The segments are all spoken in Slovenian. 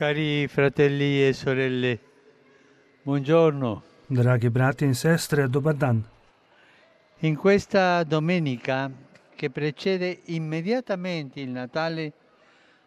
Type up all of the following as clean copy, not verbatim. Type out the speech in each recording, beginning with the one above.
Cari fratelli e sorelle, buongiorno. Dragi brati in sestre, dobar dan. In questa domenica che precede immediatamente il Natale,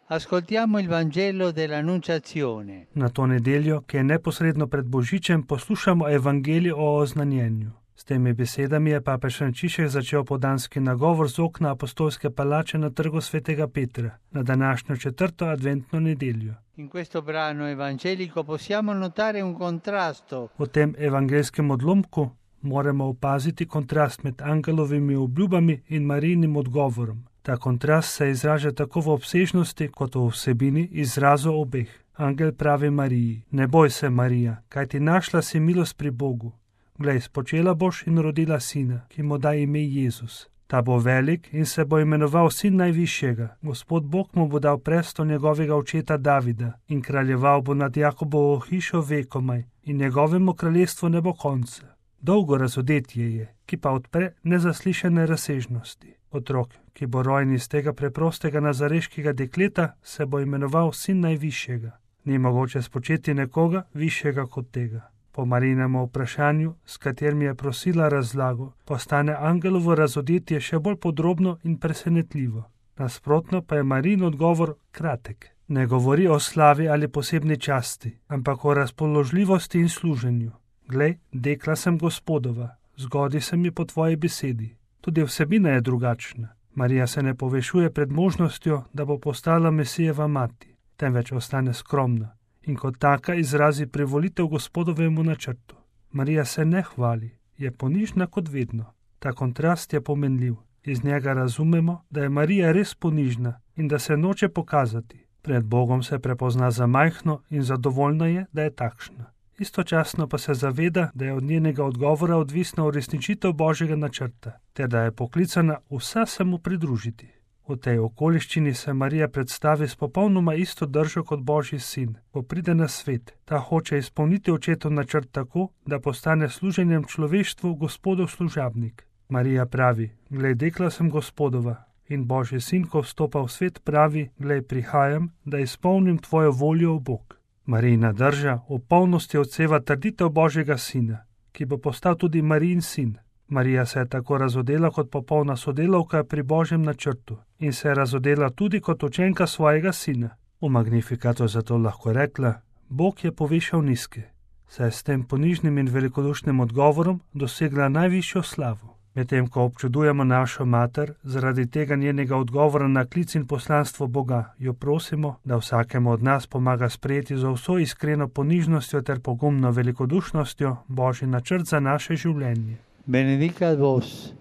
ascoltiamo il Vangelo dell'Annunciazione. Na to nedeljo, ki je neposredno pred Božičem, poslušamo Evangelij o oznanjenju. S temi besedami je papež Frančišek začel podanski nagovor z okna apostolske palače na trgu svetega Petra, na današnjo četrto adventno nedeljo. In questo brano evangelico possiamo notare un contrasto V tem evangelskem odlomku moramo opaziti kontrast med angelovimi obljubami in Marijinim odgovorom. Ta kontrast se izraža tako v obsežnosti kot v vsebini izrazu obeh. Angel pravi Mariji: ne boj se, Marija, kajti našla si milost pri Bogu. Glej, spočela boš in rodila sina, ki mu da ime Jezus. Ta bo velik in se bo imenoval sin najvišjega. Gospod Bog mu bo dal prestol njegovega očeta Davida in kraljeval bo nad Jakobovo hišo vekomaj in njegovemu kraljestvu ne bo konca. Dolgo razodetje je, ki pa odpre nezaslišane razsežnosti. Otrok, ki bo rojen iz tega preprostega nazareškega dekleta, se bo imenoval sin najvišjega. Ni mogoče spočeti nekoga višjega kot tega. Po Marijinem vprašanju, s katerim je prosila razlago, postane angelovo razodetje še bolj podrobno in presenetljivo. Nasprotno pa je Marijin odgovor kratek. Ne govori o slavi ali posebni časti, ampak o razpoložljivosti in služenju. Glej, dekla sem Gospodova, zgodi se mi po tvoji besedi. Tudi vsebina je drugačna. Marija se ne povešuje pred možnostjo, da bo postala Mesijeva mati, temveč ostane skromna in kot taka izrazi privolitev Gospodovemu načrtu. Marija se ne hvali, je ponižna kot vedno. Ta kontrast je pomenljiv. Iz njega razumemo, da je Marija res ponižna in da se noče pokazati. Pred Bogom se prepozna za majhno in zadovoljna je, da je takšna. Istočasno pa se zaveda, da je od njenega odgovora odvisna uresničitev Božjega načrta, ter da je poklicana vsa se mu pridružiti. V tej okoliščini se Marija predstavi s popolnoma isto držo kot Božji sin. Ko pride na svet, ta hoče izpolniti očetov načrt tako, da postane služenjem človeštvu Gospodov služabnik. Marija pravi: glej, dekla sem Gospodova. In Božji sin, ko vstopa v svet, pravi: glej, prihajam, da izpolnim tvojo voljo, Bog. Marijina drža v polnosti odseva trditev Božjega sina, ki bo postal tudi Marijin sin. Marija se je tako razodela kot popolna sodelavka pri Božjem načrtu in se je razodela tudi kot učenka svojega sina. V Magnifikatu zato lahko rekla: Bog je povešal nizke, saj je s tem ponižnim in velikodušnim odgovorom dosegla najvišjo slavo. Medtem ko občudujemo našo mater zaradi tega njenega odgovora na klic in poslanstvo Boga, jo prosimo, da vsakemu od nas pomaga sprejeti z vso iskreno ponižnostjo ter pogumno velikodušnostjo Božji načrt za naše življenje. Benedicat vos,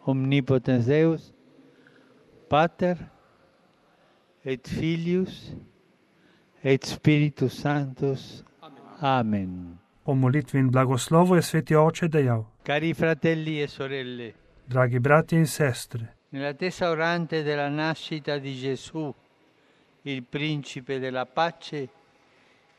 omnipotens Deus, Pater, et Filius, et Spiritus Sanctus. Amen. Po molitvi in blagoslovu je sveti oče dejal: Cari fratelli e sorelle, dragi bratje in sestre, nell'attesa orante della nascita di Gesù, il principe della pace,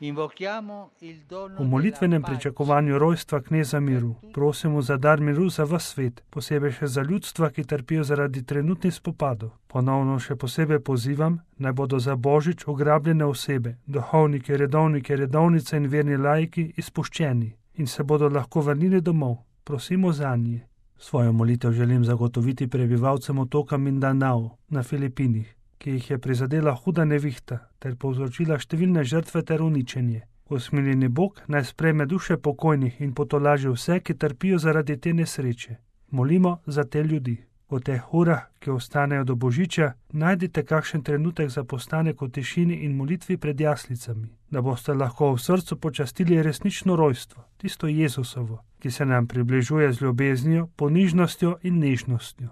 invochiamo il dono v molitvenem della pace. pričakovanju rojstva kneza miru prosimo za dar miru za ves svet, posebej še za ljudstva, ki trpijo zaradi trenutnih spopadov. Ponovno še posebej pozivam, naj bodo za Božič ugrabljene osebe, duhovniki, redovnice in verni laiki izpuščeni in se bodo lahko vrnili domov. Prosimo zanje. Svojo molitev želim zagotoviti prebivalcem otoka Mindanao na Filipinih, ki jih je prizadela huda nevihta ter povzročila številne žrtve ter uničenje. Usmiljeni Bog naj sprejme duše pokojnih in potolaži vse, ki trpijo zaradi te nesreče. Molimo za te ljudi. V teh urah, ki ostanejo do Božiča, najdite kakšen trenutek za postanek v tišini in molitvi pred jaslicami, da boste lahko v srcu počastili resnično rojstvo, tisto Jezusovo, ki se nam približuje z ljubeznijo, ponižnostjo in nežnostjo.